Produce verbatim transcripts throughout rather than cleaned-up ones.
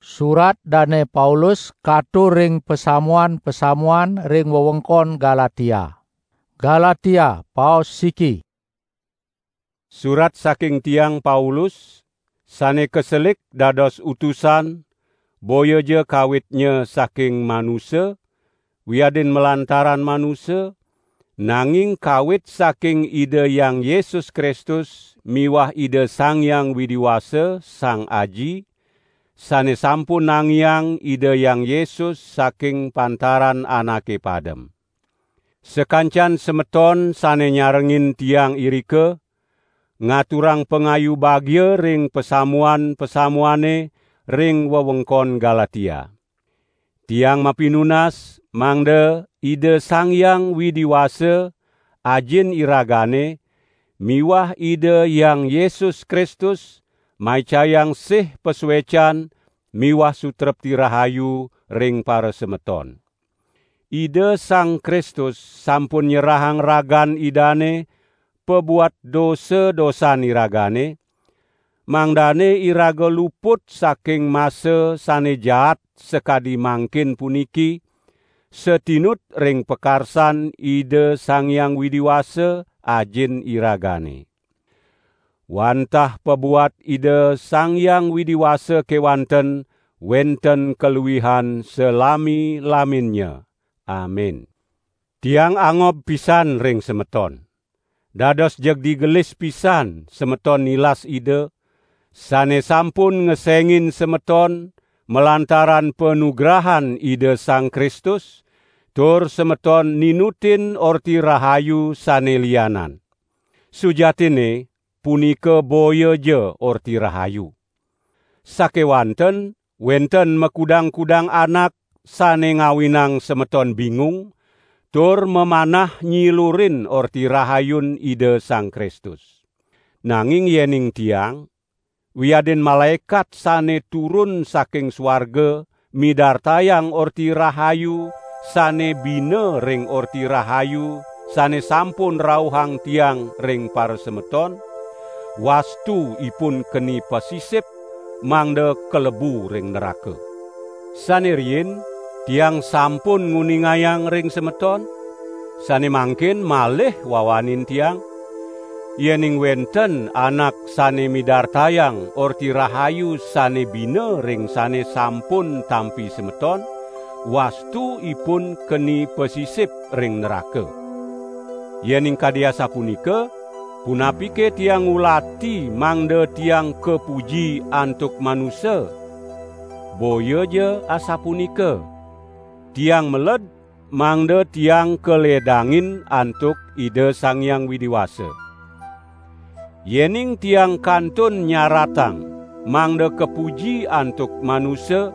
Surat Dane Paulus katur ring pasamuan-pasamuan ring wewengkon Galatia. Galatia, paos siki. Surat saking tiang Paulus, sane kaselik dados utusan, boyaja kawitnya saking manusa, wiadin malantaran manusa, nanging kawit saking Ida Hyang Yesus Kristus miwah Ida Sang Hyang Widi Wasa, Sang Aji, sane sampun nangiang Ida Hyang Yesus saking pantaran anake padem. Sakancan semeton sane nyarengin tiang irika, ngaturang pangayu bagia ring pasamuan-pasamuane ring wewengkon Galatia. Tiang mapinunas mangda Ida Sang Hyang Widi Wasa, Ajin iragane, miwah Ida Hyang Yesus Kristus maicayang sih pasuecan miwah sutrepti rahayu ring parasemeton. Ida Sang Kristus sampun nyerahang ragan Idane pabuat dosa-dosan iragane, mangdane iraga luput saking masa sane jaat sakadi mangkin puniki, satinut ring pakarsan Ida Sang Hyang Widi Wasa, Ajin iragane. Wantah pabuat Ida Sang Hyang Widi Wasa kewanten wenten kaluihan salami-laminnya. Amin. Tiang angob pisan ring semeton. Dados jeg digelis pisan semeton nilas Ida, sane sampun ngesengin semeton malantaran panugrahan Ida Sang Kristus, tur semeton ninutin Orti Rahayu sane lianan. Sujatinne, punika boya ja Orti Rahayu. Sakewanten wenten makudang-kudang anak sane ngawinang semeton bingung, tur mamanah nyilurin Orti Rahayun Ida Sang Kristus. Nanging yening tiang, wiadin malaekat sane turun saking suarga, midartayang Orti Rahayu sane bina ring Orti Rahayu sane sampun rauhang tiang ring parasemeton, wastu ipun keni pasisip, mangda kalebu ring neraka. Sane riin, tiang sampun nguningayang ring semeton, sane mangkin malih wawanin tiang, yening wenten anak sane midartayang Orti Rahayu sane bina ring sane sampun tampi semeton, wastu ipun keni pasisip ring neraka. Yening kadi asapunika, punapike tiang ngulati mangda tiang kapuji antuk manusa? Boya ja asapunika. Tiang meled mangda tiang kaledangin antuk Ida Sang Hyang Widi Wasa. Yening tiang kantun nyaratang mangda kapuji antuk manusa,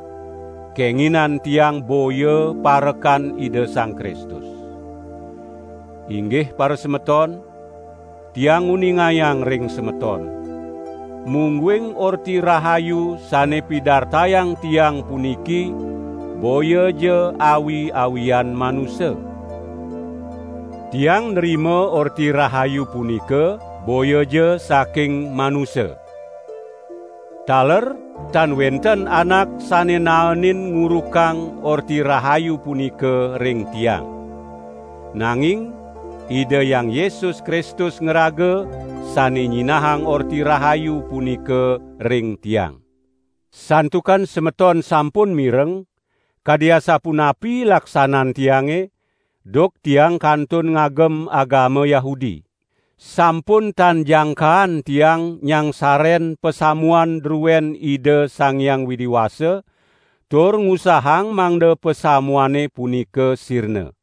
kenginan tiang boya parekan Ida Sang Kristus. Inggih parasemeton, tiang nguningayang ring semeton, mungguing Orti Rahayu sane pidartayang tiang puniki boya ja awi-awian manusa. Tiang nrima Orti Rahayu punika boya ja saking manusa. Taler tan wenten anak sane naenin ngurukang Orti Rahayu punika ring tiang. Nanging Ida Hyang Yesus Kristus ngraga sane nyinahang Orti Rahayu punika ring tiang. Santukan semeton sampun mireng, kadi asapunapi laksanan tiange, duk tiang kantun ngagem agama Yahudi. Sampun tan jangkaan tiang nyangsaren pasamuan druen Ida Sang Hyang Widi Wasa, tur ngusahang mangda pasamuane punika sirna.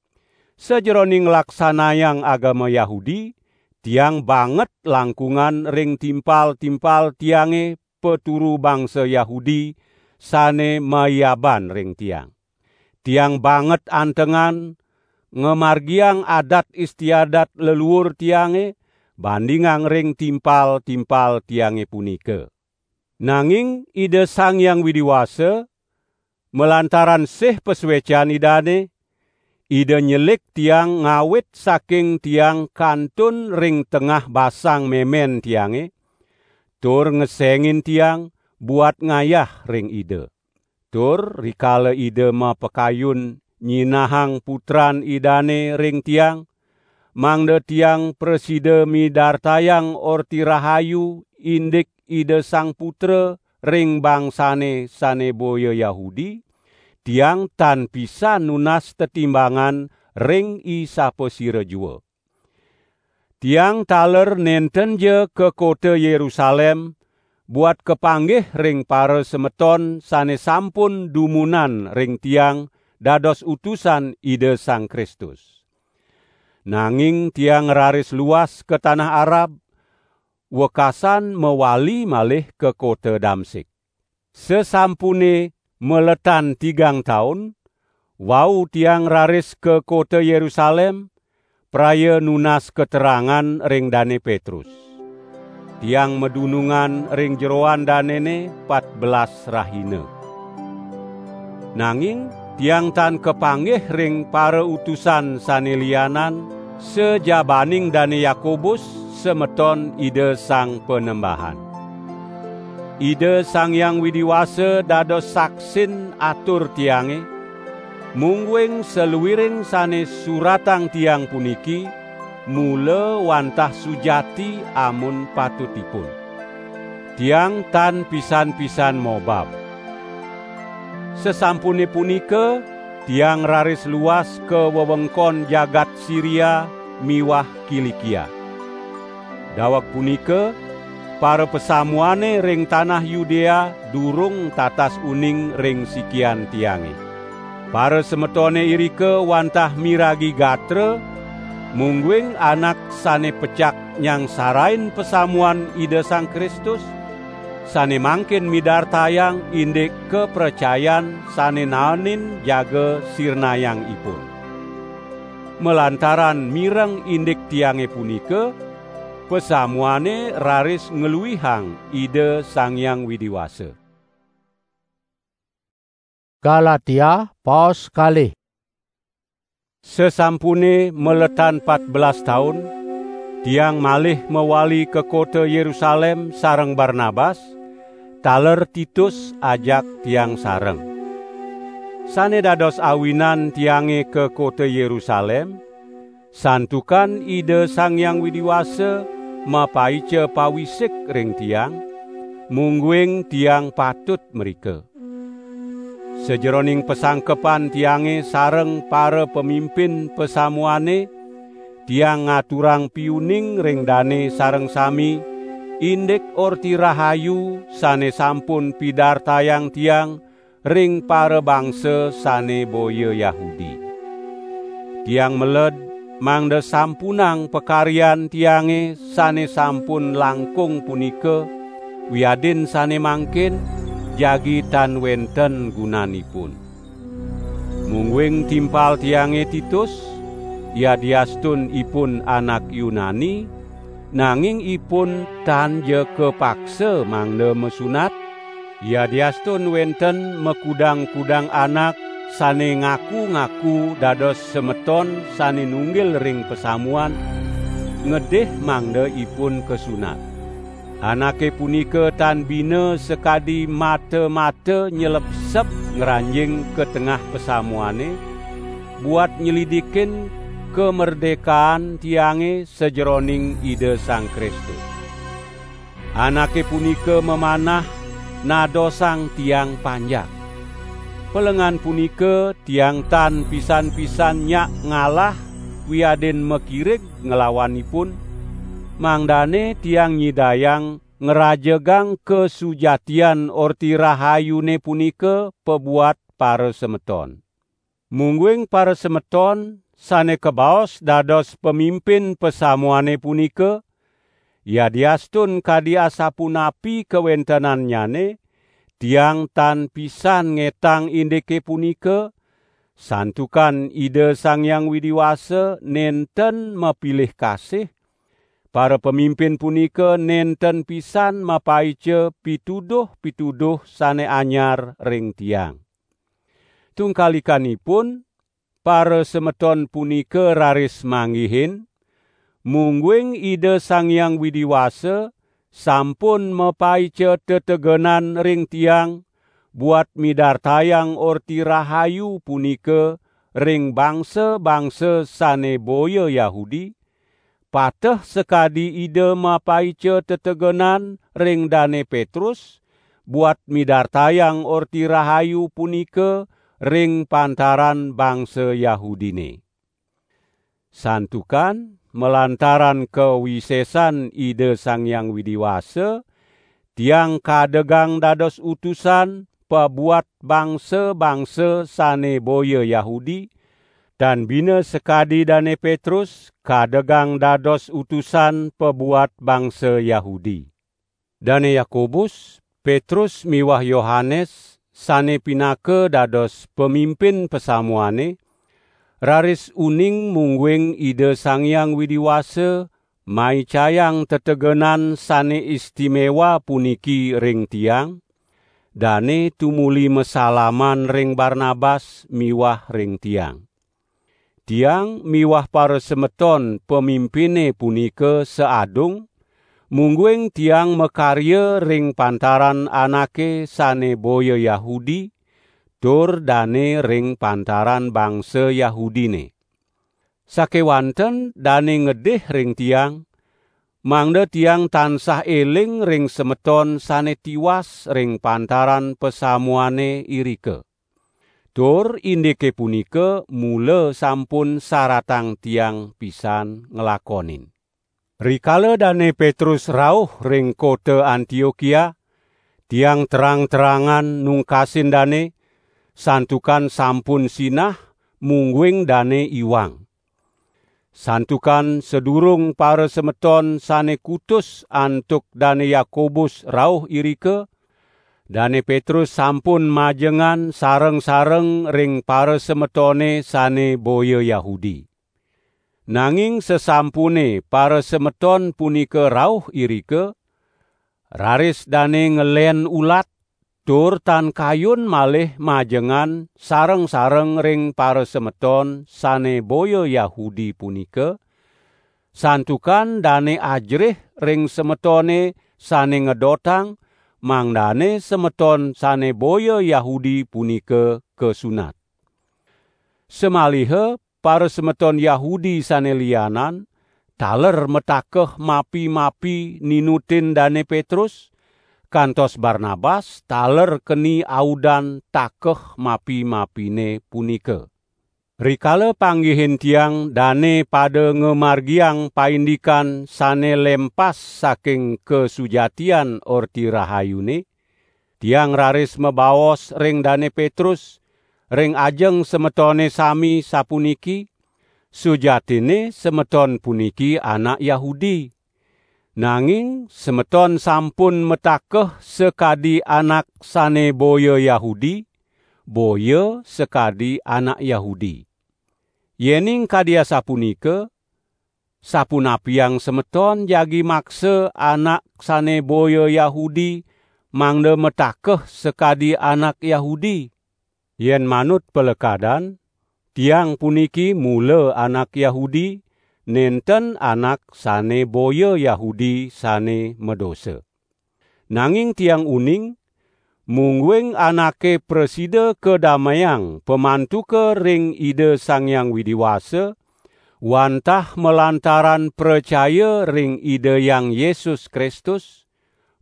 Sajeroning nglaksanayang agama Yahudi, tiang banget langkungan ring timpal-timpal tiange paturu bangsa Yahudi sane mayaban ring tiang. Tiang banget antengan ngamargiang adat istiadat leluur tiange bandingang ring timpal-timpal tiange punika. Nanging Ida Sang Hyang Widi Wasa, malantaran sih pasuecan Idane, Ida nyelik tiang ngawit saking tiang kantun ring tengah basang memen tiange, tur ngesengin tiang buat ngayah ring Ida. Tur rikala Ida mapakayun nyinahang Putran Idane ring tiang, mangda tiang prasida midartayang Orti Rahayu indik Ida Sang Putra ring bangsane sane boya Yahudi, tiang tan pisan nunas tetimbangan ring i sapasira jua. Tiang taler nentenja ka kota Yerusalem, buat kapanggih ring parasemeton sane sampun dumunan ring tiang dados utusan Ida Sang Kristus. Nanging tiang raris luas ka tanah Arab, wekasan mawali malih ka kota Damsik. Sasampune maletan tigang taun, wau tiang raris ka kota Yerusalem, praya nunas katerangan ring Dane Petrus. Tiang madunungan ring jeroan danene patbelas rahina. Nanging tiang tan kapanggih ring parautusan sane lianan, sajabaning Dane Yakobus, semeton Ida Sang Panembahan. Ida Sang Hyang Widi Wasa dados saksin atur tiange, mungguing saluiring sane suratang tiang puniki mula wantah sujati amun patutipun. Tiang tan pisan-pisan mobab. Sasampune punika, tiang raris luas ka wewengkon jagat Siria miwah Kilikia. Daweg punika, parapasamuane ring tanah Yudea durung tatas uning ring sikian tiange. Parasemetone irika wantah miragi gatra, mungguing anak sane pecak nyangsarain pasamuan Ida Sang Kristus, sane mangkin midartayang indik kapracayan sane naenin jaga sirnayang ipun. Malantaran mireng indik tiange punika, pasamuane raris ngluihang Ida Sang Hyang Widi Wasa. Galatia, paos kalih. Sasampune maletan patbelas taun, tiang malih mawali ka kota Yerusalem sareng Barnabas, taler Titus ajak tiang sareng. Sane dados awinan tiange ka kota Yerusalem, santukan Ida Sang Hyang Widi Wasa mapaica pawisik ring tiang, mungguing tiang patut mrika. Sajeroning pasangkepan tiange sareng para pamimpin pasamuane, tiang ngaturang piuning ring dane sareng sami, indik Orti Rahayu sane sampun pidartayang tiang ring parabangsa sane boya Yahudi. Tiang meled mangda sampunang pakaryan tiange sane sampun langkung punika, wiadin sane mangkin jagi tan wenten gunanipun. Mungguing timpal tiange Titus, yadiastun ipun anak Yunani, nanging ipun tan ja kapaksa mangda masunat, yadiastun wenten makudang-kudang anak sane ngaku-ngaku dados semeton sane nunggil ring pasamuan, ngedih mangda ipun kasunat. Anake punika tan bina sakadi mata-mata nyelepsep ngranjing ka tengah pasamuane, buat nyelidikin kamerdekaan tiange sajeroning Ida Sang Kristus. Anake punika mamanah nadosang tiang panjak. Pelengan punika tiang tan pisan-pisan nyak ngalah wiadin makirig nglawanipun, mangdane tiang nyidayang ngrajegang kasujatian Orti Rahayune punika pabuat parasemeton. Mungguing parasemeton sane kabaos dados pamimpin pasamuane punika, yadiastun kadi asapunapi kawentenannyane, tiang tan pisan ngetang indike punika, santukan Ida Sang Hyang Widi Wasa nenten mapilih kasih, para pamimpin punika nenten pisan mapaica pituduh-pituduh sane anyar ring tiang. Tungkalikanipun, parasemeton punika raris manggihin, mungguing Ida Sang Hyang Widi Wasa sampun mapaica tetegenan ring tiang, buat midartayang Orti Rahayu punika ring bangsa-bangsa sane boya Yahudi, pateh sakadi Ida mapaica tetegenan ring Dane Petrus, buat midartayang Orti Rahayu punika ring pantaran bangsa Yahudine. Santukan malantaran kawisesan Ida Sang Hyang Widi Wasa, tiang kadegang dados utusan pabuat bangsa-bangsa sane boya Yahudi, tan bina sakadi Dane Petrus kadegang dados utusan pabuat bangsa Yahudi. Dane Yakobus, Petrus miwah Yohanes sane pinaka dados pamimpin pasamuane, raris uning mungguing Ida Sang Hyang Widi Wasa maicayang tetegenan sane istimewa puniki ring tiang, dane tumuli masalaman ring Barnabas miwah ring tiang. Tiang miwah parasemeton pamimpine punika saadung, mungguing tiang makarya ring pantaran anake sane boya Yahudi, tur dane ring pantaran bangsa Yahudine. Sakewanten dane ngedih ring tiang, mangda tiang tansah eling ring semeton sane tiwas ring pantaran pasamuane irika. Tur indike punika mula sampun saratang tiang pisan nglakonin. Rikala Dane Petrus rauh ring kota Antiokia, tiang terang-terangan nungkasin dane, santukan sampun sinah, mungguing dane iwang. Santukan sadurung parasemeton sane kutus antuk Dane Yakobus rauh irika, Dane Petrus sampun majengan sareng-sareng ring parasemetone sane boya Yahudi. Nanging sasampune parasemeton punika rauh irika, raris dane ngelen ulat, tur tan kayun malih majengan sareng-sareng ring parasemeton sane boya Yahudi punika, santukan dane ajerih ring semetone sane ngedotang, mangdane semeton sane boya Yahudi punika kasunat. Samaliha parasemeton Yahudi sane lianan taler matakeh mapi-mapi ninutin Dane Petrus, kantos Barnabas taler keni audan takeh mapi-mapine punika. Rikala panggihin tiang dane pada ngamargiang paindikan sane lempas saking kasujatian Orti Rahayune, tiang raris mabaos ring Dane Petrus, ring ajeng semetone sami sapuniki, "Sujatine semeton puniki anak Yahudi. Nanging semeton sampun matakeh sakadi anak sane boya Yahudi, boya sakadi anak Yahudi. Yening kadi asapunika, sapunapiang semeton jagi maksa anak sane boya Yahudi mangda matakeh sakadi anak Yahudi? Yen manut palekadan, tiang puniki mula anak Yahudi, nenten anak sane boya Yahudi sane madosa. Nanging tiang uning, mungguing anake prasida kadameang pamantuka ring Ida Sang Hyang Widi Wasa, wantah malantaran pracaya ring Ida Hyang Yesus Kristus,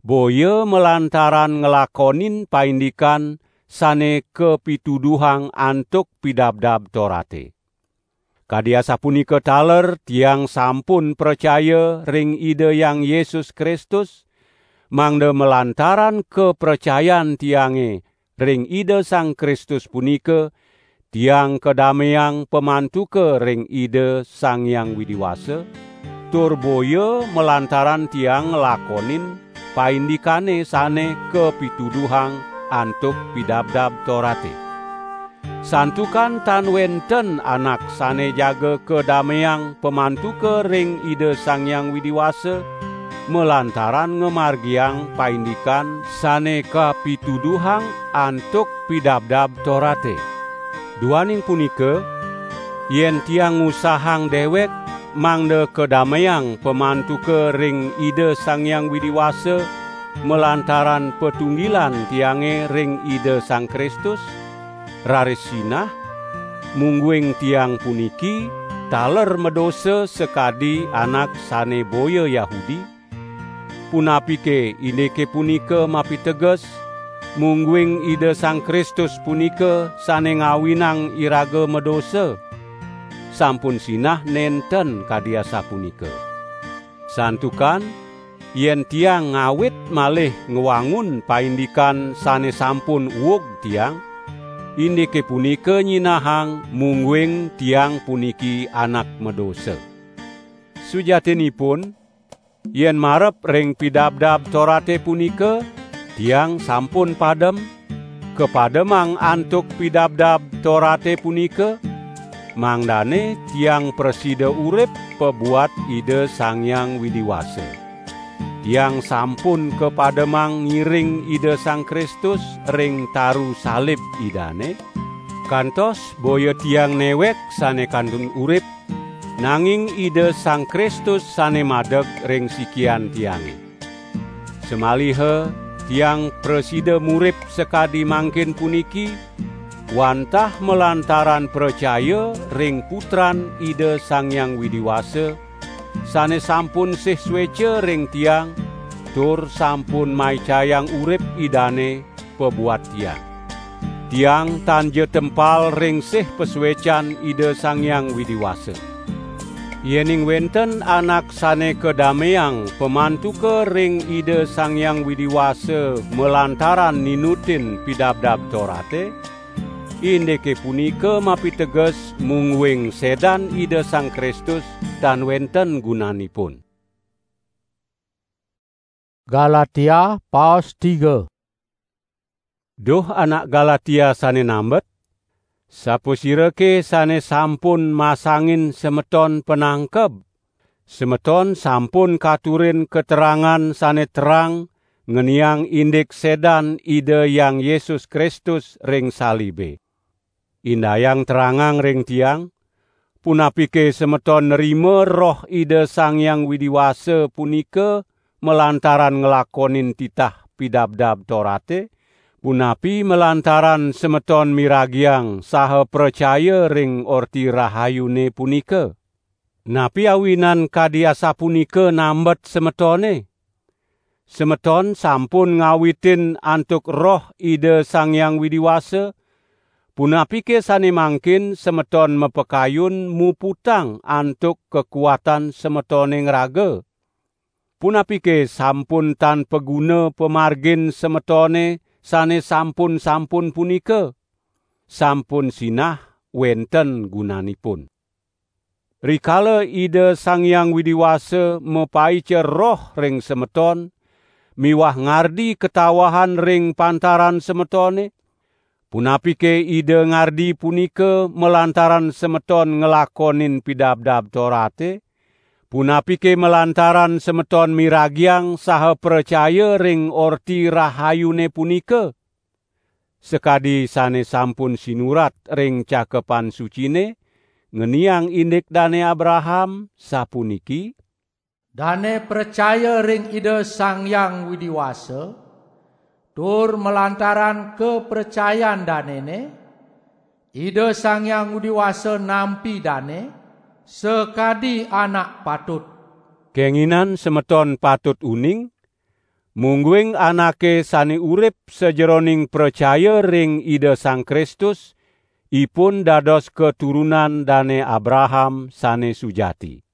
boya malantaran nglakonin paindikan sane kapituduhang antuk Pidabdab Torate. Kadi asapunika taler tiang sampun pracaya ring Ida Hyang Yesus Kristus, mangda malantaran kapracayan tiange ring Ida Sang Kristus punika, tiang kadameang pamantuka ring Ida Sang Hyang Widi Wasa, tur boya malantaran tiang nglakonin paindikane sane kapituduhang antuk Pidabdab Torate. Santukan tan wenten anak sane jaga kadameang pamantuka ring Ida Sang Hyang Widi Wasa, malantaran ngamargiang paindikan sane kapituduhang antuk Pidabdab Torate. Duaning punika, yen tiang ngusahang dewek mangda kadameang pamantuka ring Ida Sang Hyang Widi Wasa, malantaran patunggilan tiange ring Ida Sang Kristus, raris sinah, mungguing tiang puniki taler madosa sakadi anak sane boya Yahudi, punapike indike punika mapiteges, mungguing Ida Sang Kristus punika sane ngawinang iraga madosa? Sampun sinah nenten kadi asapunika. Santukan yen tiang ngawit malih ngwangun paindikan sane sampun uug tiang, indike punika nyinahang mungguing tiang puniki anak madosa. Sujatinipun, yen marep ring Pidabdab Torate punika, tiang sampun padem, kapademang antuk Pidabdab Torate punika, mangdane tiang prasida urip pabuat Ida Sang Hyang Widi Wasa. Tiang sampun kapademang ngiring Ida Sang Kristus ring taru salib Idane, kantos boya tiang newek sane kantun urip, nanging Ida Sang Kristus sane madeg ring sikian tiange. Samaliha tiang prasida murip sakadi mangkin puniki, wantah malantaran pracaya ring Putran Ida Sang Hyang Widi Wasa, sane sampun sih sueca ring tiang, tur sampun maicayang urip Idane pabuat tiang. Tiang tan ja tempal ring sih pasuecan Ida Sang Hyang Widi Wasa. Yening wenten anak sane kadameang pamantuka ring Ida Sang Hyang Widi Wasa malantaran ninutin Pidabdab Torate, indike punika mapiteges mungguing sedan Ida Sang Kristus tan wenten gunanipun. Galatia, paos tiga. Duh anak Galatia sane nambet, sapasirake sane sampun masangin semeton panangkeb? Semeton sampun katurin keterangan sane terang ngeniang indik sedan Ida Hyang Yesus Kristus ring salibe. Indayang terangang ring tiang, punapike semeton nrima Roh Ida Sang Hyang Widi Wasa punika malantaran nglakonin titah Pidabdab Torate, punapi malantaran semeton miragiang saha pracaya ring Orti Rahayune punika? Napi awinan kadi asapunika nambet semetone? Semeton sampun ngawitin antuk Roh Ida Sang Hyang Widi Wasa, punapike sane mangkin semeton mapakayun muputang antuk kakuatan semetone ngraga? Punapike sampun tan paguna pamargin semetone sane sampun-sampun punika? Sampun sinah wenten gunanipun. Rikala Ida Sang Hyang Widi Wasa mapaica Roh ring semeton miwah ngardi katawahan ring pantaran semetone, punapike Ida ngardi punika malantaran semeton nglakonin Pidabdab Torate? Punapike malantaran semeton miragiang saha pracaya ring Orti Rahayune punika? Sakadi sane sampun sinurat ring Cakepan Sucine, ngeniang indik Dane Abraham, sapuniki: "Dane pracaya ring Ida Sang Hyang Widi Wasa, tur malantaran kapracayan danene, Ida Sang Hyang Widi Wasa nampi dane sakadi anak patut." Kenginan semeton patut uning, mungguing anake sane urip sajeroning pracaya ring Ida Sang Kristus, ipun dados katurunan Dane Abraham sane sujati.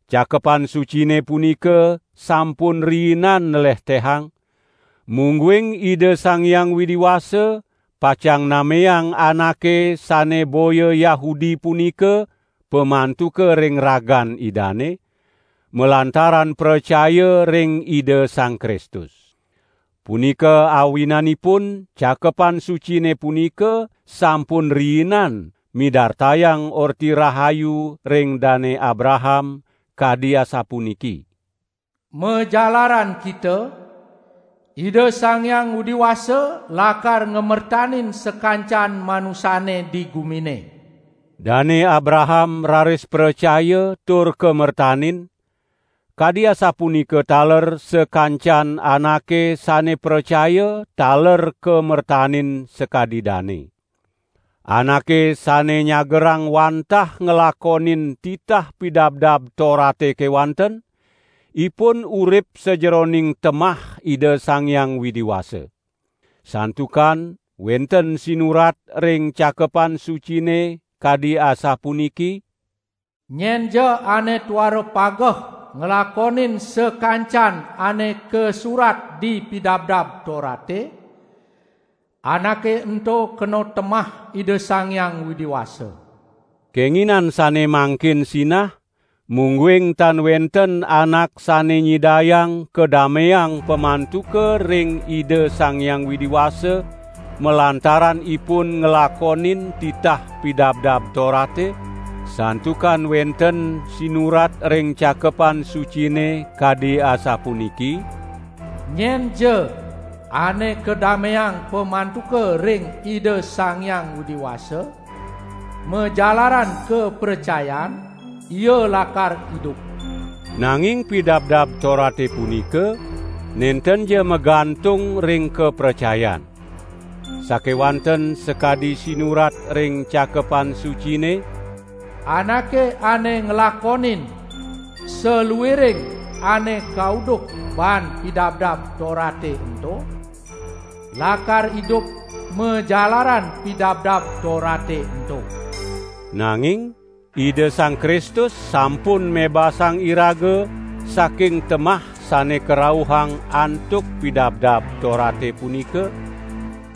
Cakepan Sucine punika sampun riinan nlehtehang, mungguing Ida Sang Hyang Widi Wasa pacang nameang anake sane boya Yahudi punika pamantuka ring ragan Idane, malantaran pracaya ring Ida Sang Kristus. Punika awinanipun Cakepan Sucine punika sampun riinan midartayang Orti Rahayu ring Dane Abraham, kadi asapuniki: "Majalaran kita, Ida Sang Hyang Widi Wasa lakar ngamertanin sakancan manusane di gumine." Dane Abraham raris pracaya tur kamertanin, Kadi asapunika taler sakancan anake sane pracaya taler kamertanin sakadi dane. Anake sane nyagerang wantah nglakonin titah Pidabdab Torate kewanten, ipun urip sajeroning temah Ida Sang Hyang Widi Wasa. Santukan wenten sinurat ring Cakepan Sucine kadi asapuniki: "Nyenja ane tuara pageh nglakonin sakancan ane kasurat di Pidabdab Torate, anake ento kena temah Ida Sang Hyang Widi Wasa." Kenginan sane mangkin sinah, mungguing tan wenten anak sane nyidayang kadameang pamantuka ring Ida Sang Hyang Widi Wasa, malantaran ipun nglakonin titah Pidabdab Torate, santukan wenten sinurat ring Cakepan Sucine kadi asapuniki: "Nyenja ane kadameang pamantuka ring Ida Sang Hyang Widi Wasa, majalaran kapracayan, ia lakar idup." Nanging Pidabdab Torate punika nentenja magantung ring kapracayan. Sakewanten sakadi sinurat ring Cakepan Sucine: "Anake ane nglakonin saluiring ane kauduk baan Pidabdab Torate ento, lakar idup majalaran Pidabdab Torate ento." Nanging Ida Sang Kristus sampun mebasang iraga saking temah sane karauhang antuk Pidabdab Torate punika,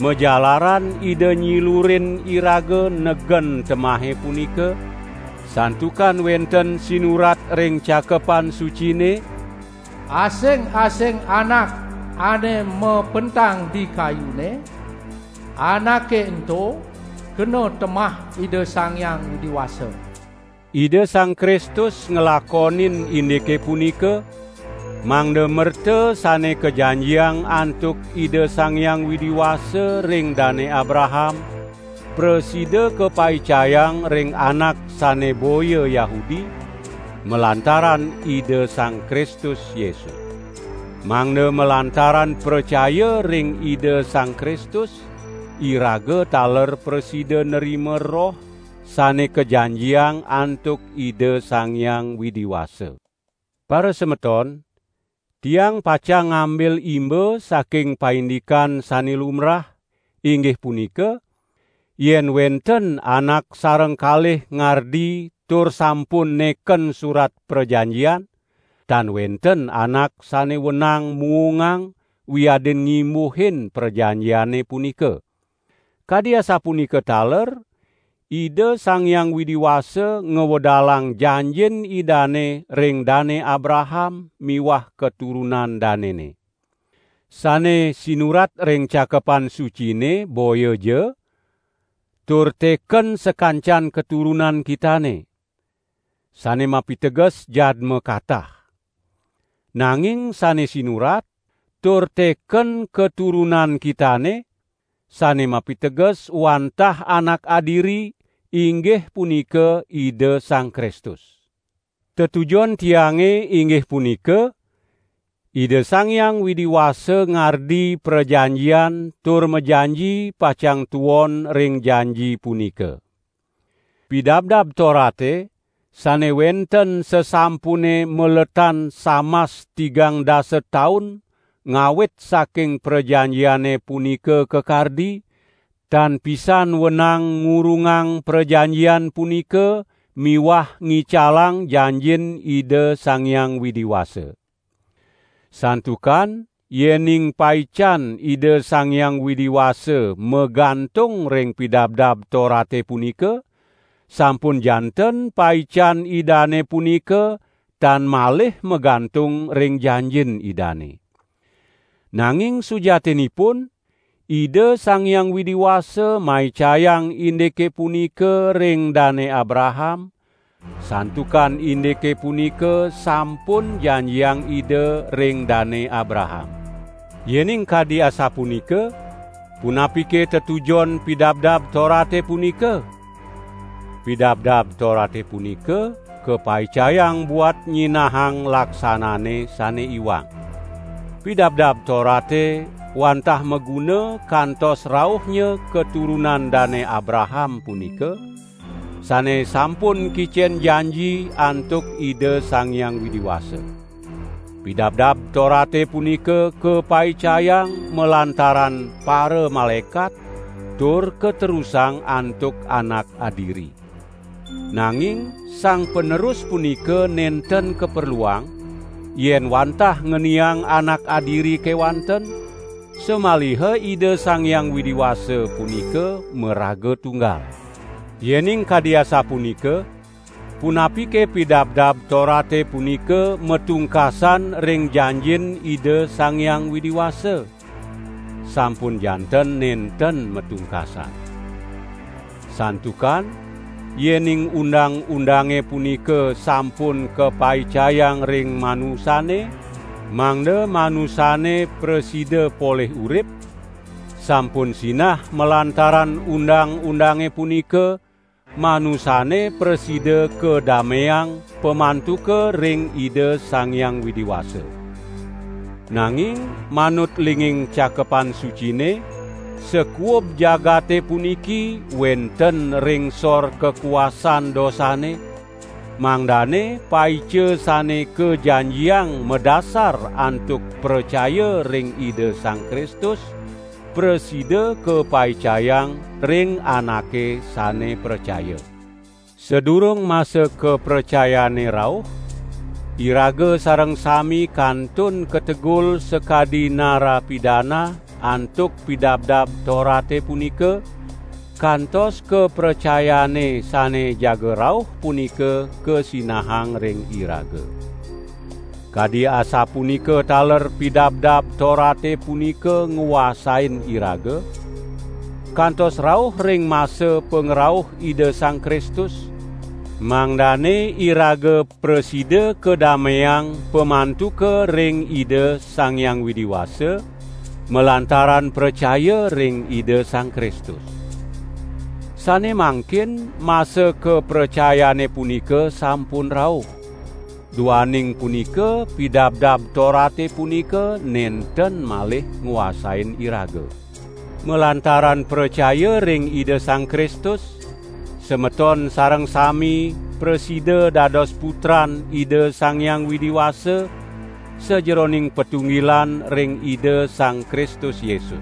majalaran Ida nyilurin iraga negen temahe punika, santukan wenten sinurat ring Cakepan Sucine: "Asing-asing anak ane mapentang di kayune, anake ento kena temah Ida Sang Hyang Widi Wasa." Ida Sang Kristus nglakonin indike punika, mangda merta sane kajanjiang antuk Ida Sang Hyang Widi Wasa ring Dane Abraham, prasida kapaicayang ring anak sane boya Yahudi, malantaran Ida Sang Kristus Yesus. Mangda malantaran pracaya ring Ida Sang Kristus, iraga taler prasida nerima Roh sane kajanjiang antuk Ida Sang Hyang Widi Wasa. Parasemeton, tiang pacang ngambil imba saking paindikan sane lumrah, inggih punika, yen wenten anak sareng kalih ngardi tur sampun neken surat prajanjian, tan wenten anak sane wenang muungang wiadin ngimbuhin prajanjiane punika. Kadi asapunika taler, Ida Sang Hyang Widi Wasa ngwedalang janjin Idane ring Dane Abraham miwah katurunan danene. Sane sinurat ring Cakepan Sucine boya ja, tur teken sakancan katurunan kitane. Sane mapiteges jadma katah. Nanging sane sinurat, tur teken katurunan kitane, sane mapiteges wantah anak adiri, inggih punika Ida Sang Kristus. Tetujon tiange inggih punika, Ida Sang Hyang Widi Wasa ngardi prajanjian tur majanji pacang tuon ring janji punika. Pidabdab Torate, sane wenten sasampune maletan samas tigang dasa taun ngawit saking prajanjiane punika kakardi, tan pisan wenang ngurungang prajanjian punika miwah ngicalang janjin Ida Sang Hyang Widi Wasa. Santukan yening paican Ida Sang Hyang Widi Wasa magantung ring Pidabdab Torate punika, sampun janten paican Idane punika tan malih magantung ring janjin Idane. Nanging sujatinipun, Ida Sang Hyang Widi Wasa maicayang indike punika ring Dane Abraham, santukan indike punika sampun janjiang Ida ring Dane Abraham. Yening kadi asapunika, punapike tetujon Pidabdab Torate punika? Pidabdab Torate punika kapaicayang buat nyinahang laksanane sane iwang. Pidabdab Torate wantah maguna kantos rauhnya katurunan Dane Abraham punika, sane sampun kicen janji antuk Ida Sang Hyang Widi Wasa. Pidabdab Torate punika kapaicayang malantaran para malaekat tur katerusang antuk anak adiri. Nanging sang panerus punika nenten kaperluang, yen wantah ngeniang anak adiri kewanten, samaliha Ida Sang Hyang Widi Wasa punika maraga tunggal. Yening kadi asapunika, punapike Pidabdab Torate punika matungkasan ring janjin Ida Sang Hyang Widi Wasa? Sampun janten nenten matungkasan. Santukan, yening undang-undange punika sampun kapaicayang ring manusane, mangda manusane prasida polih urip, sampun sinah malantaran undang-undange punika, manusane prasida kadameang pamantuka ring Ida Sang Hyang Widi Wasa. Nanging manut linging Cakepan Sucine, sakuub jagate puniki wenten ring sor kakuasan dosane, mangdane paica sane kajanjiang madasar antuk pracaya ring Ida Sang Kristus, prasida kapaicayang ring anake sane pracaya. Sadurung masa kapracayane rauh, iraga sareng sami kantun kategul sakadi narapidana antuk Pidabdab Torate punika, kantos kapracayane sane jaga rauh punika kasinahang ring iraga. Kadi asapunika taler Pidabdab Torate punika nguasain iraga, kantos rauh ring masa pangrauh Ida Sang Kristus, mangdane iraga prasida kadameang pamantuka ring Ida Sang Hyang Widi Wasa, malantaran pracaya ring Ida Sang Kristus. Sane mangkin masa kapracayane punika sampun rauh. Duaning punika, Pidabdab Torate punika nenten malih nguasain iraga. Malantaran pracaya ring Ida Sang Kristus, semeton sareng sami prasida dados putran Ida Sang Hyang Widi Wasa sajeroning patunggilan ring Ida Sang Kristus Yesus.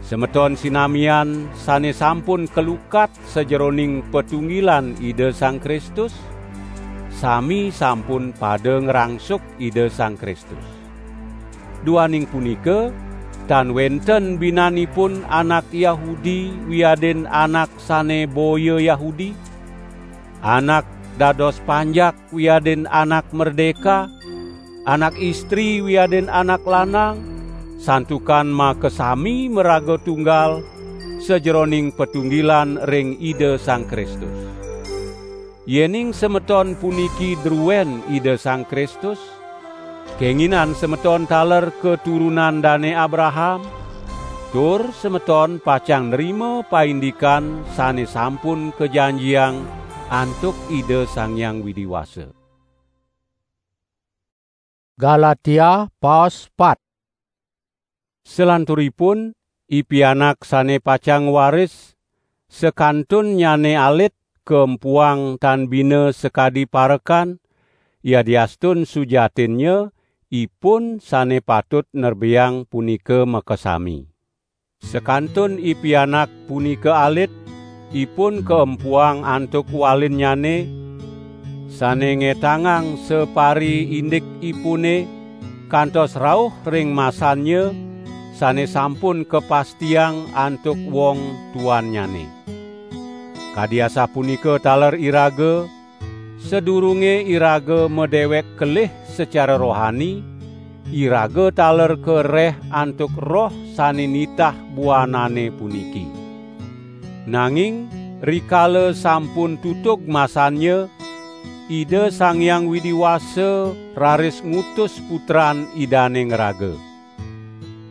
Semeton sinamian sane sampun kalukat sajeroning patunggilan Ida Sang Kristus, sami sampun pada ngrangsuk Ida Sang Kristus. Duaning punika, tan wenten binanipun anak Yahudi wiadin anak sane boya Yahudi, anak dados panjak wiadin anak merdeka, anak istri wiadin anak lanang, santukan makasami maraga tunggal sajeroning patunggilan ring Ida Sang Kristus. Yening semeton puniki druen Ida Sang Kristus, kenginan semeton taler katurunan Dane Abraham, tur semeton pacang nrima paindikan sane sampun kajanjiang antuk Ida Sang Hyang Widi Wasa. Galatia pas pat. Salanturipun, i pianak sane pacang waris, sakantunnyane alit kaempuang tan bina sakadi parekan, yadiastun sujatinnya ipun sane patut nerbiang punika makasami. Sakantun i pianak punika alit, ipun kaempuang antuk walinnyane, sane ngetangang sapariindikipune, kantos rauh ring masannya, sane sampun kapastiang antuk wong tuannyane. Kadi asapunika taler iraga, sadurunge iraga madewek kelih sacara rohani, iraga taler kareh antuk Roh sane nitah buanane puniki. Nanging rikala sampun tutug masannya, Ida Sang Hyang Widi Wasa raris ngutus Putran Idane ngraga.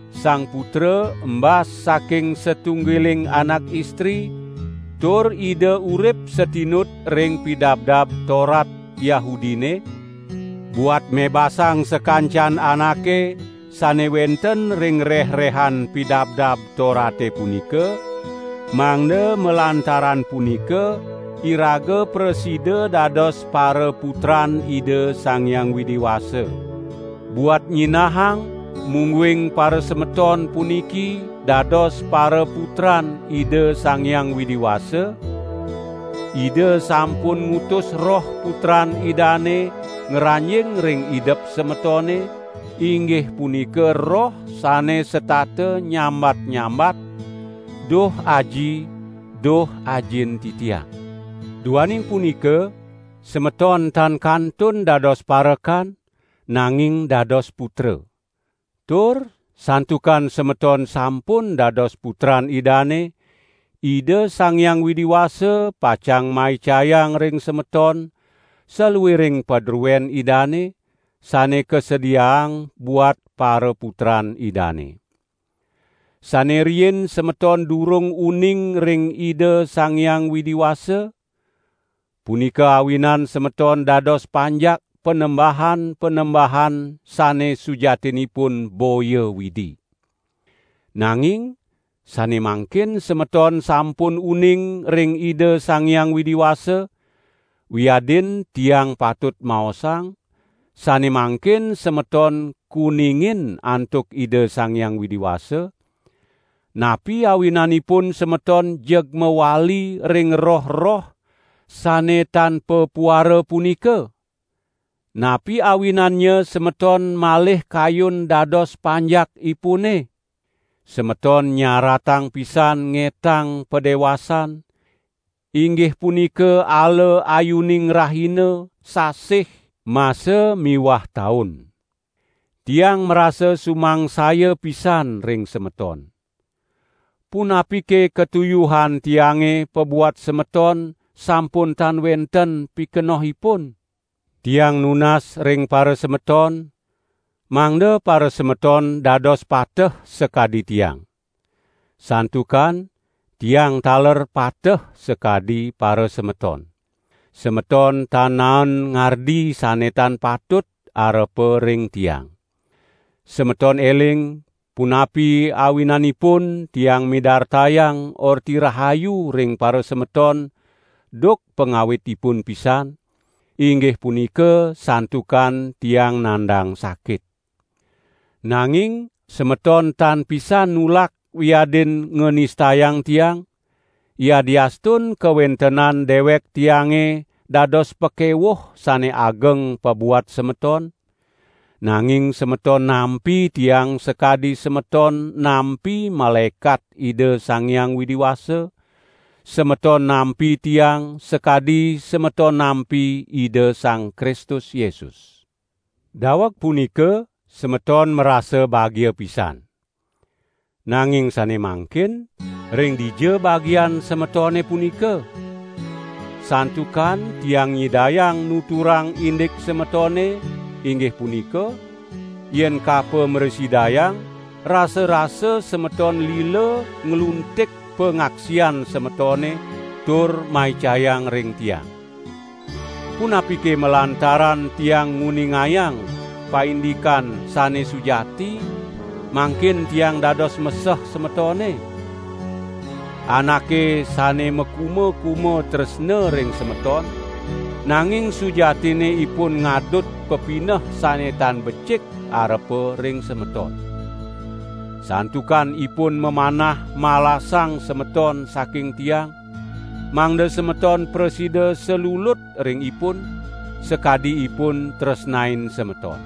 Sang Putra embas saking satunggiling anak istri, tur Ida urip satinut ring Pidabdab Torat Yahudine, buat mebasang sakancan anake sane wenten ring reh-rehan Pidabdab Torate punika, mangda malantaran punika iraga prasida dados paraputran Ida Sang Hyang Widi Wasa. Buat nyinahang, mungguing parasemeton puniki dados paraputran Ida Sang Hyang Widi Wasa, Ida sampun ngutus Roh Putran Idane ngranjing ring idep semetone, inggih punika Roh sane setata nyambat-nyambat, "Duh Aji, duh Ajin titiang." Duaning punika, semeton tan kantun dados parekan, nanging dados putra. Tur santukan semeton sampun dados putran Idane, Ida Sang Hyang Widi Wasa pacang maicayang ring semeton saluiring padruen Idane, sane kasediaang buat paraputran Idane. Sane riin semeton durung uning ring Ida Sang Hyang Widi Wasa, punika awinan semeton dados panjak panembahan-panembahan sane sujatinipun boya Widi. Nanging sane mangkin semeton sampun uning ring Ida Sang Hyang Widi Wasa, wiadin tiang patut maosang, sane mangkin semeton kuningin antuk Ida Sang Hyang Widi Wasa, napi awinanipun semeton jeg mawali ring roh-roh sane tan papuara punika? Napi awinannya semeton malih kayun dados panjakipune? Semeton nyaratang pisan ngetang padewasan, inggih punika ala ayuning rahina, sasih, masa miwah taun. Tiang marasa sumangsaya pisan ring semeton. Punapike katuyuhan tiange pabuat semeton sampun tan wenten pikenohipun? Tiang nunas ring parasemeton, mangda parasemeton dados pateh sakadi tiang. Santukan tiang taler pateh sakadi parasemeton. Semeton tan naen ngardi sane tan patut arepa ring tiang. Semeton eling, punapi awinanipun tiang midartayang Orti Rahayu ring parasemeton, duk pangawitipun pisan, inggih punika santukan tiang nandang sakit. Nanging semeton tan pisan nulak wiadin nganistayang tiang, yadiastun kawentenan dewek tiange dados pakewuh sane ageng pabuat semeton, nanging semeton nampi tiang sakadi semeton nampi malaekat Ida Sang Hyang Widi Wasa, semeton nampi tiang sakadi semeton nampi Ida Sang Kristus Yesus. Daweg punika semeton marasa bagia pisan. Nanging sane mangkin, ring dija bagian semetone punika? Santukan tiang nyidayang nuturang indik semetone, inggih punika, yen kapamresidayang, rasa-rasa semeton lila ngluntik pangaksian semetone tur maicayang ring tiang. Punapike malantaran tiang nguningayang paindikan sane sujati, mangkin tiang dados meseh semetone? Anake sane makuma-kuma tresna ring semeton, nanging sujatine ipun ngadut pepineh sane tan becik arepa ring semeton. Santukan ipun mamanah malasang semeton saking tiang, mangda semeton prasida salulut ring ipun, sakadi ipun tresnain semeton.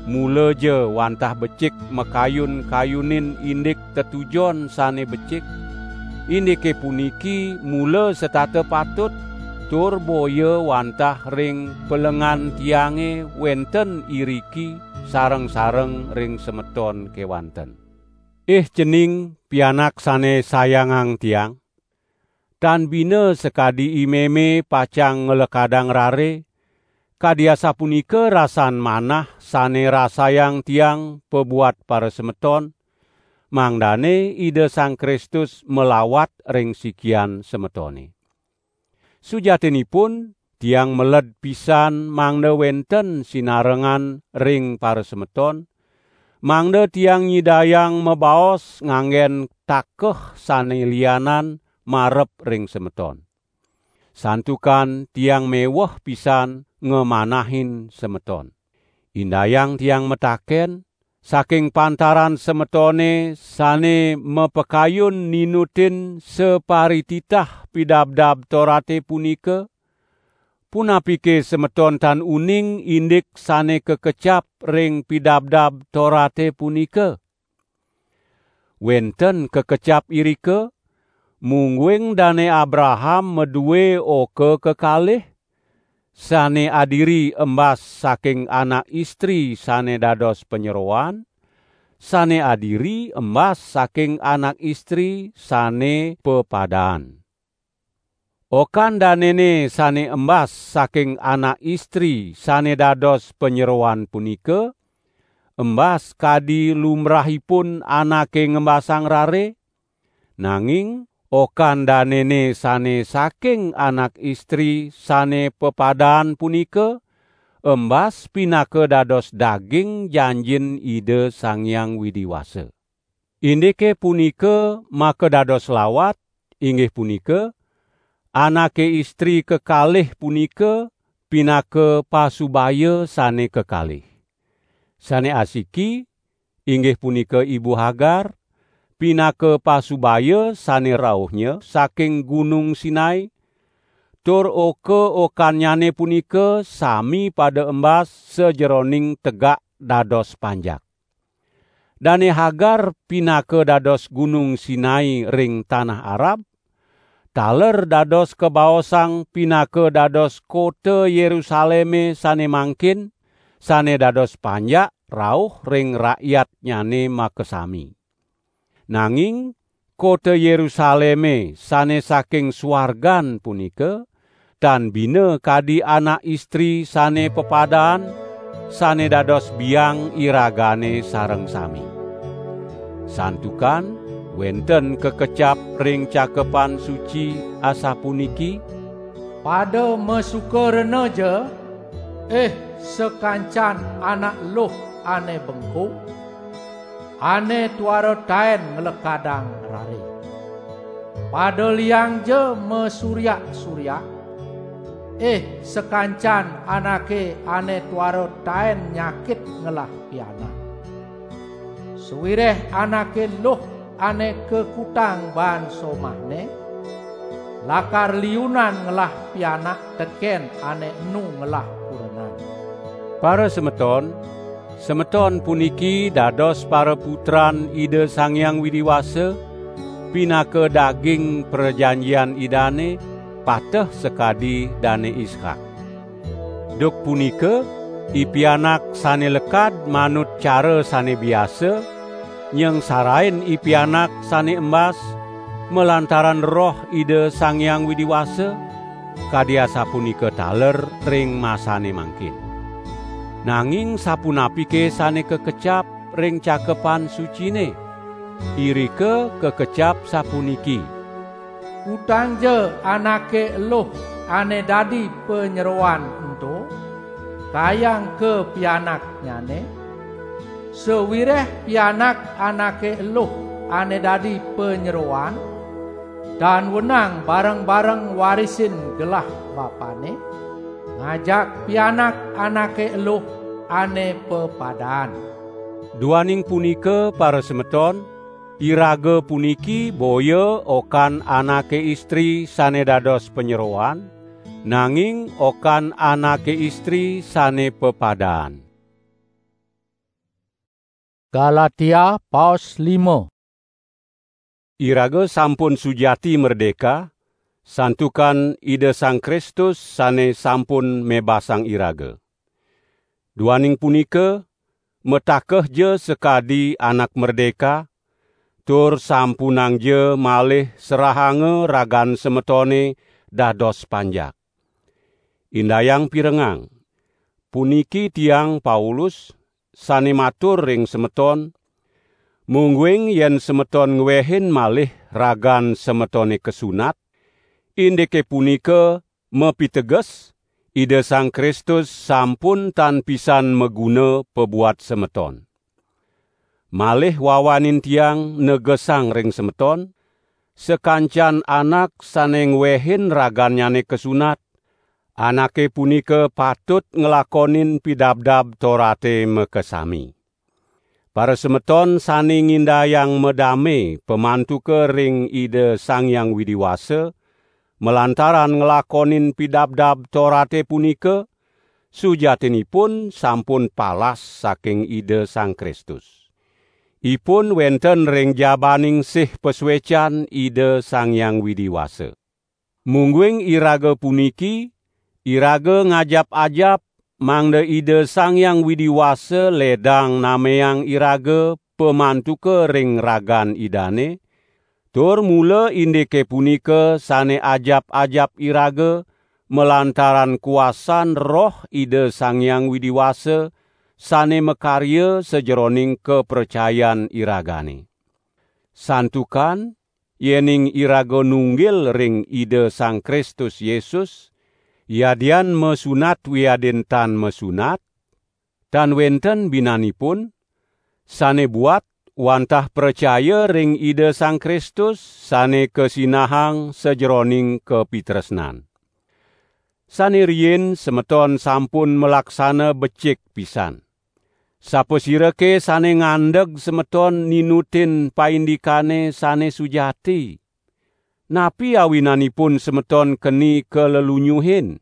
Mulaja wantah becik makayun-kayunin indik tetujon sane becik, indike puniki mula setata patut, tur boya wantah ring pelengan tiange wenten iriki sareng-sareng ring semeton kewanten. Ih cening pianak sane sayangang tiang, tan bina sakadi i meme pacang nglekadang rare, kadi asapunika rasan manah sane rasayang tiang pabuat parasemeton, mangdane Ida Sang Kristus malawat ring sikian semetone. Sujatinipun, tiang meled pisan mangda wenten sinarengan ring parasemeton, mangda tiang nyidayang mabaos nganggen takeh sane lianan marep ring semeton. Santukan tiang meweh pisan ngamanahin semeton. Indayang tiang mataken, saking pantaran semetone sane mapakayun ninutin saparititah Pidabdab Torate punika, punapike semeton tan uning indik sane kakecap ring Pidabdab Torate punika? Wenten kakecap irika, mungguing Dane Abraham madue oka kekalih, sane adiri embas saking anak istri sane dados panyeroan, sane adiri embas saking anak istri sane pepadaan. Okan danene sane embas saking anak istri sane dados panyeroan punika, embas kadi lumrahipun anake ngembasang rare, nanging okan danene sane saking anak istri sane pepadaan punika, embas pinaka dados daging janjin Ida Sang Hyang Widi Wasa. Indike punika makadados lawat, inggih punika, anake istri kekalih punika pinaka pasubaya sane kekalih. Sane asiki, inggih punika Ibu Hagar, pinaka pasubaya sane rauhnya saking Gunung Sinai, tur oka-okannyane punika sami pada embas sajeroning tegak dados panjak. Dane Hagar pinaka dados Gunung Sinai ring tanah Arab, taler dados kabaosang pinaka dados kota Yerusaleme sane mangkin, sane dados panjak rauh ring rakyatnyane makasami. Nanging kota Yerusaleme sane saking suargan punika, tan bina kadi anak istri sane pepadaan, sane dados biang iragane sareng sami. Santukan wenten kakecap ring Cakepan Suci asapuniki: "Pada masuka rena ja, ih sakancan anak luh ane bengkung, ane tuara taen nglekadang rare. Pada liang ja masuryak-suryak, ih sakancan anake ane tuara taen nyakit ngelah pianak. Sawireh anake luh ane kakutang baan somahne, lakar liunan ngelah pianak teken ane enu ngelah kurenan." Para semeton, semeton puniki dados paraputran Ida Sang Hyang Widi Wasa, pinaka daging prajanjian Idane, pateh sakadi Dane Ishak. Duk punika, i pianak sane lekad manut cara sane biasa, nyengsarain i pianak sane embas, malantaran Roh Ida Sang Hyang Widi Wasa, kadi asapunika taler ring masane mangkin. Nanging sapunapike sane kakecap ring Cakepan Sucine? Irika kakecap sapuniki: "Kutangja anake eluh ane dadi panyeroan ento, kayang ka pianaknyane, sawireh pianak anake eluh ane dadi panyeroan, tan wenang bareng-bareng warisin gelah bapane, ngajak pianak anake eluh ane pepadaan." Duaning punika, para semeton, iraga puniki boya okan anake istri sane dados panyeroan, nanging okan anake istri sane pepadaan. Galatia paos lima. Iraga sampun sujati merdeka, santukan Ida Sang Kristus sane sampun mebasang iraga. Duaning punika, matakehja sakadi anak merdeka, tur sampunangja malih serahanga ragan semetone dados panjak. Indayang pirengang, puniki tiang Paulus, sane matur ring semeton, Mungguing yen semeton ngwehin malih ragan semetone kasunat, indike punika mapiteges Ida Sang Kristus sampun tan pisan maguna pabuat semeton. Malih wawanin tiang negesang ring semeton, sakancan anak sane ngwehin ragannyane kasunat, anake punika patut nglakonin pidabdab Torate makasami. Parasemeton sane ngindayang madame pamantuka ring Ida Sang Hyang Widi Wasa, malantaran nglakonin pidabdab Torate punika, sujatinipun sampun palas saking Ida Sang Kristus. Ipun wenten ring jabaning sih pasuecan Ida Sang Hyang Widi Wasa. Mungguing iraga puniki, iraga ngajap-ajap, mangda Ida Sang Hyang Widi Wasa ledang nameang iraga pamantuka ring ragan Idane, tur mula indike punika sane ajap-ajap iraga, malantaran kuasan Roh Ida Sang Hyang Widi Wasa sane makarya sajeroning kapracayan iragane. Santukan, yening iraga nunggil ring Ida Sang Kristus Yesus, yadian masunat wiadin tan masunat, tan wenten binanipun, sane buat wantah pracaya ring Ida Sang Kristus sane kasinahang sajeroning kapitresnan. Sane riin semeton sampun malaksana becik pisan. Sapasirake sane ngandeg semeton ninutin paindikane sane sujati? Napi awinanipun semeton keni kalelunyuhin?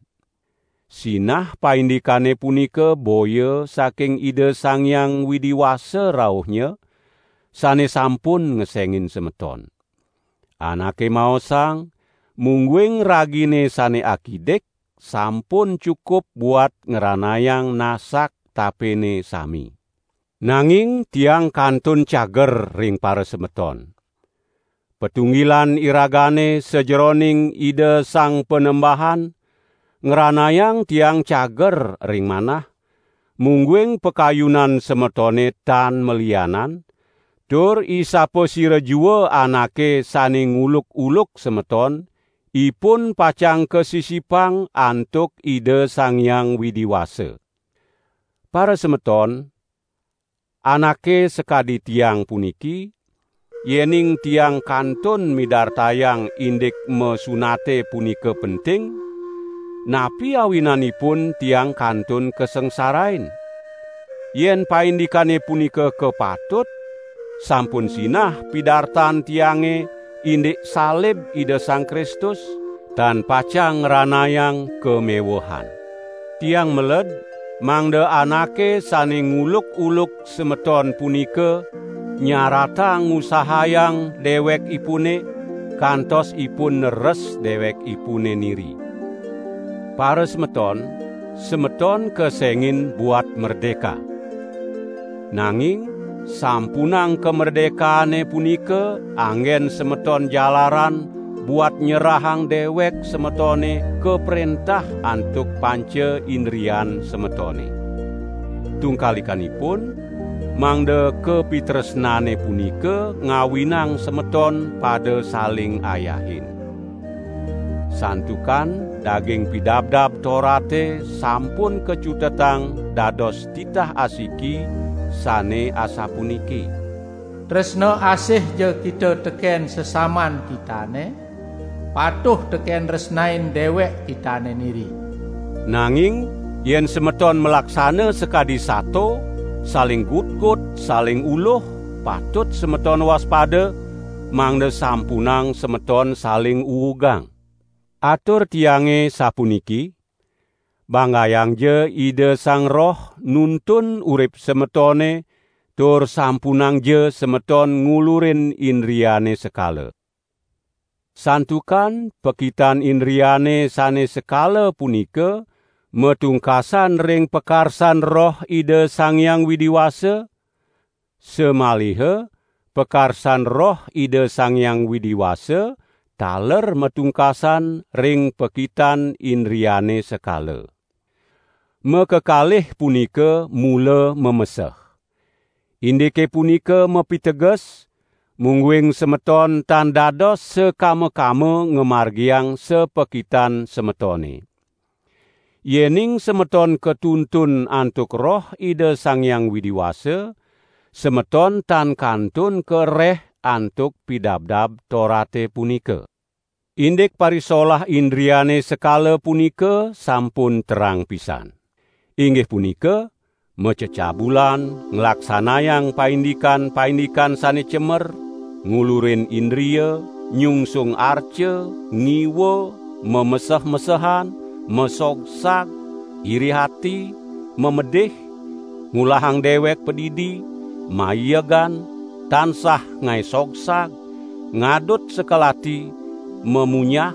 Sinah paindikane punika boya saking Ida Sang Hyang Widi Wasa rauhnya, sane sampun ngesengin semeton. Anake maosang, mungguing ragine sane akidik sampun cukup buat ngranayang nasak tapene sami. Nanging tiang kantun cager ring parasemeton. Patunggilan iragane sajeroning Ida Sang Panembahan ngranayang tiang cager ring manah, mungguing pakayunan semetone tan malianan, tur isapasira jua anake sane nguluk-uluk semeton, ipun pacang kasisipang antuk Ida Sang Hyang Widi Wasa. Parasemeton, anake sakadi tiang puniki, yening tiang kantun midartayang indik masunate punika penting, napi awinanipun tiang kantun kasangsarain? Yen paindikane punika kapatut, sampun sinah pidartan tiange indik salib Ida Sang Kristus, tan pacang ngranayang kamewehan. Tiang meled mangda anake sane nguluk-uluk semeton punika nyaratang ngusahayang dewekipune, kantos ipun neres dewekipune niri. Parasemeton, semeton kesengin buat merdeka. Nanging, sampunang kamerdekaane punika anggen semeton jalaran buat nyerahang dewek semetone kaprentah antuk panca indrian semetone. Tungkalikanipun, mangda kapitresnane punika ngawinang semeton pada saling ayahin. Santukan daging pidabdab Torate sampun kacutetang dados titah asiki sane asapuniki: Tresna asih ja kita teken sesaman kitane, patuh teken resnain dewek kitane niri. Nanging, yen semeton malaksana sakadi sato, saling gutgut, saling uluh, patut semeton waspada, mangda sampunang semeton saling uugang. Atur tiange sapuniki: Banggayangja Ida Sang Roh nuntun urip semetone, tur sampunangja semeton ngulurin indriane sekala. Santukan pakitan indriane sane sekala punika matungkasan ring pakarsan Roh Ida Sang Hyang Widi Wasa, samaliha pakarsan Roh Ida Sang Hyang Widi Wasa taler matungkasan ring pakitan indriane sekala. Makakalih punika mula mameseh. Indike punika mapiteges, mungguing semeton tan dados sakama-kama ngamargiang sapakitan semetone. Yening semeton katuntun antuk Roh Ida Sang Hyang Widi Wasa, semeton tan kantun kareh antuk pidabdab Torate punika. Indik parisolah indriane sekala punika sampun terang pisan. Inggih punika, macecabulan, nglaksanayang paindikan-paindikan sane cemer, ngulurin indria, nyungsung arca, ngiwa, mameseh-mesehan, masogsag, iri ati, mamedih, ngulahang dewek padidi, maiegan, tansah ngae sogsag, ngadut sekelati, mamunyah,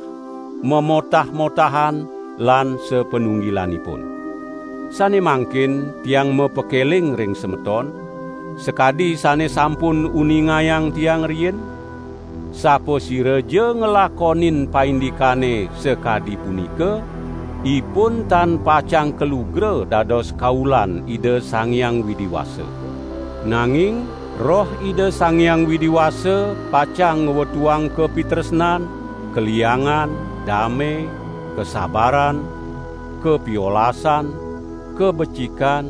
mamotah-motahan, lan sapanunggilanipun. Sane mangkin tiang mapakeling ring semeton, sakadi sane sampun uningayang tiang riin, sapasiraja nglakonin paindikane sakadi punika, ipun tan pacang kalugra dados kaulan Ida Sang Hyang Widi Wasa. Nanging Roh Ida Sang Hyang Widi Wasa pacang ngwetuang kapitresnan, kaliangan, dame, kasabaran, kapiolasan, kabecikan,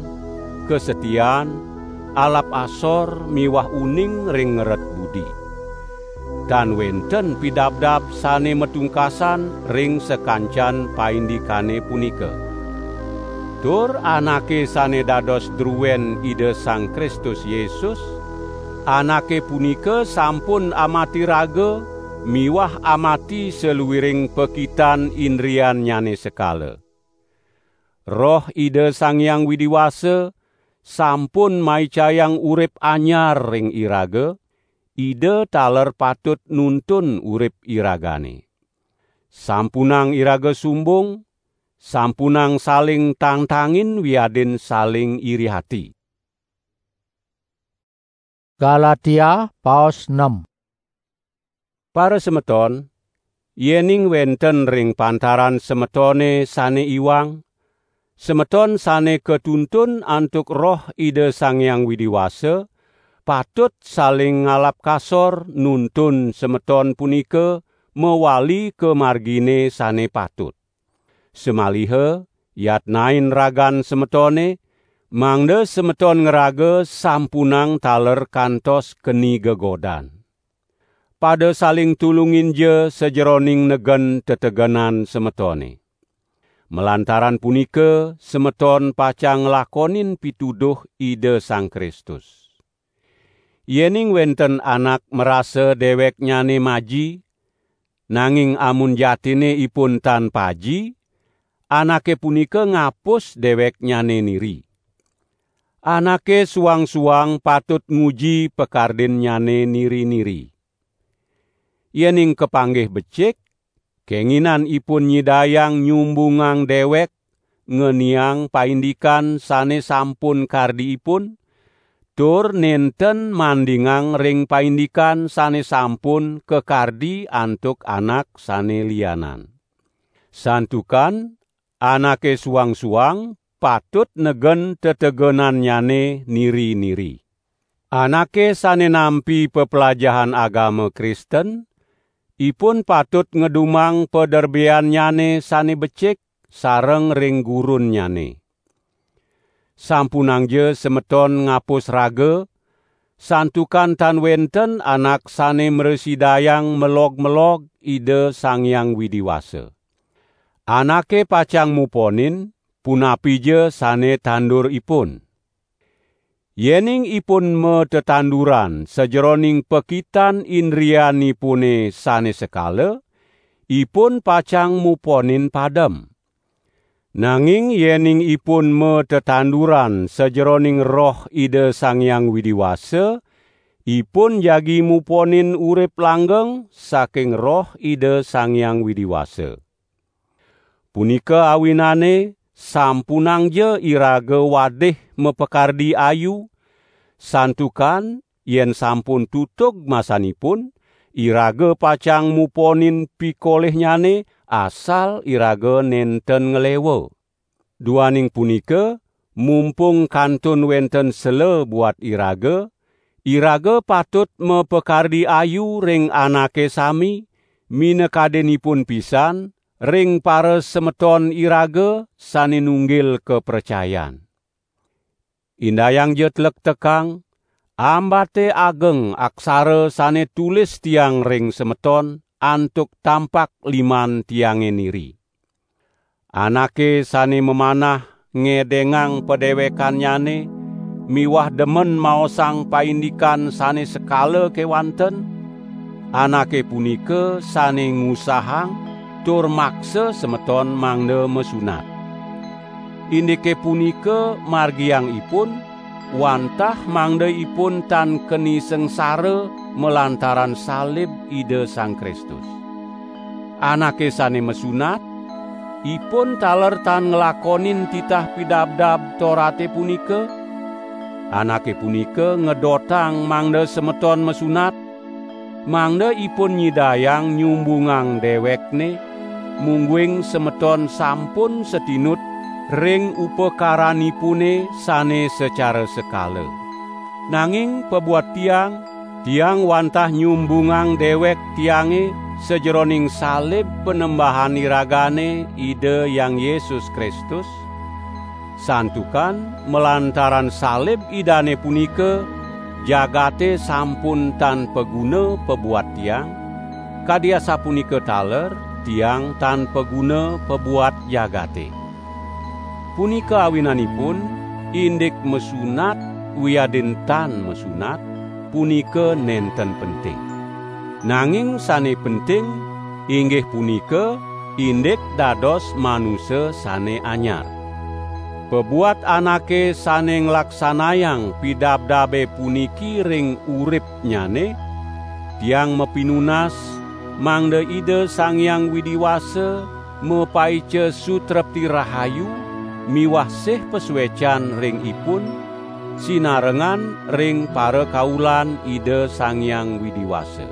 kasetian, alap asor miwah uning ring ngeret budi. Tan wenten pidabdab sane matungkasan ring sakancan paindikane punika. Tur anake sane dados druen Ida Sang Kristus Yesus, anake punika sampun amati raga miwah amati saluiring pakitan indriannyane sekala. Roh Ida Sang Hyang Widi Wasa sampun maicayang urip anyar ring iraga, Ida taler patut nuntun urip iragane. Sampunang iraga sumbung, sampunang saling tangtangin wiadin saling iri ati. Galatia paos enam. Para semeton, yening wenten ring pantaran semetone sane iwang, semeton sane katuntun antuk Roh Ida Sang Hyang Widi Wasa, patut saling ngalap kasor nuntun semeton punika mawali ka margine sane patut. Samaliha yatnain ragan semetone, mangda semeton ngraga sampunang taler kantos keni gegodan. Pada saling tulunginja sajeroning negen tetegenan semetone. Malantaran punika, semeton pacang nglakonin pituduh Ida Sang Kristus. Yening wenten anak marasa deweknyane maji, nanging amun jatine ipun tan paji, anake punika ngapus deweknyane niri. Anake suang-suang patut nguji pakardinnyane niri-niri. Yening kapanggih becik, kenginan ipun nyidayang nyumbungang dewek, ngeniang paindikan sane sampun kardi ipun, tur nenten mandingang ring paindikan sane sampun kakardi antuk anak sane lianan. Santukan anake suang-suang patut negen tetegenannyane niri-niri. Anake sane nampi peplajahan agama Kristen, ipun patut ngedumang paderbeannyane sane becik sareng ring gurunnyane. Sampunangja semeton ngapus raga, santukan tan wenten anak sane mrasidayang melog-melog Ida Sang Hyang Widi Wasa. Anake pacang muponin, punapija sane tanduripun. Yening ipun matetanduran sajeroning pakitan indrianipune sane sekala, ipun pacang muponin padem. Nanging yening ipun matetanduran sajeroning Roh Ida Sang Hyang Widi Wasa, ipun jagi muponin urip langgeng saking Roh Ida Sang Hyang Widi Wasa. Punika awinane, sampunangja iraga wadih mapakardi ayu, santukan yen sampun tutug masanipun, iraga pacang muponin pikolihnyane, asal iraga nenten nglewa. Duaning punika, mumpung kantun wenten sela buat iraga, iraga patut mapakardi ayu ring anake sami, minakadinipun pisan ring parasemeton iraga sane nunggil kapracayan. Indayangja tlektekang, ambate ageng aksara sane tulis tiang ring semeton antuk tampak liman tiange niri. Anake sane mamanah ngedengang padewekannyane miwah demen maosang paindikan sane sekala kewanten, anake punika sane ngusahang tur maksa semeton mangda masunat. Indike punika margiang ipun, wantah mangda ipun tan keni sangsara malantaran salib Ida Sang Kristus. Anake sane masunat, ipun taler tan nglakonin titah pidabdab Torate punika. Anake punika ngedotang mangda semeton masunat, mangda ipun nyidayang nyumbungang dewekne, mungguing semeton sampun satinut ring upakaranipune sane sacara sekala. Nanging pabuat tiang, tiang wantah nyumbungang dewek tiange sajeroning salib Panembahan iragane, Ida Hyang Yesus Kristus, santukan malantaran salib Idane punika, jagate sampun tan paguna pabuat tiang, kadi asapunika taler tiang tan paguna pabuat jagate. Punika awinanipun, indik masunat wiadin tan masunat, punika nenten penting. Nanging sane penting, inggih punika indik dados manusa sane anyar. Pabuat anake sane nglaksanayang pidabdabe puniki ring uripnyane, tiang mapinunas, mangda Ida Sang Hyang Widi Wasa mapaica sutrepti rahayu miwah sih pasuecan ring ipun, sinarengan ring parakaulan Ida Sang Hyang Widi Wasa.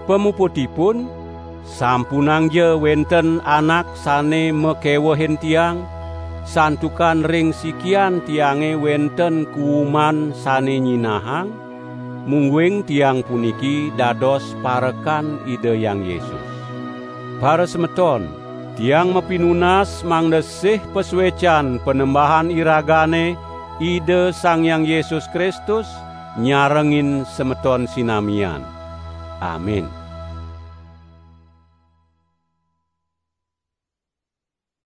Pamuputipun, sampunangja wenten anak sane makewehin tiang, santukan ring sikian tiange wenten kuuman sane nyinahang, mungguing tiang puniki dados parekan Ida Hyang Yesus. Parasemeton, tiang mapinunas mangda sih pasuecan Panembahan iragane, Ida Sang Hyang Yesus Kristus, nyarengin semeton sinamian. Amin.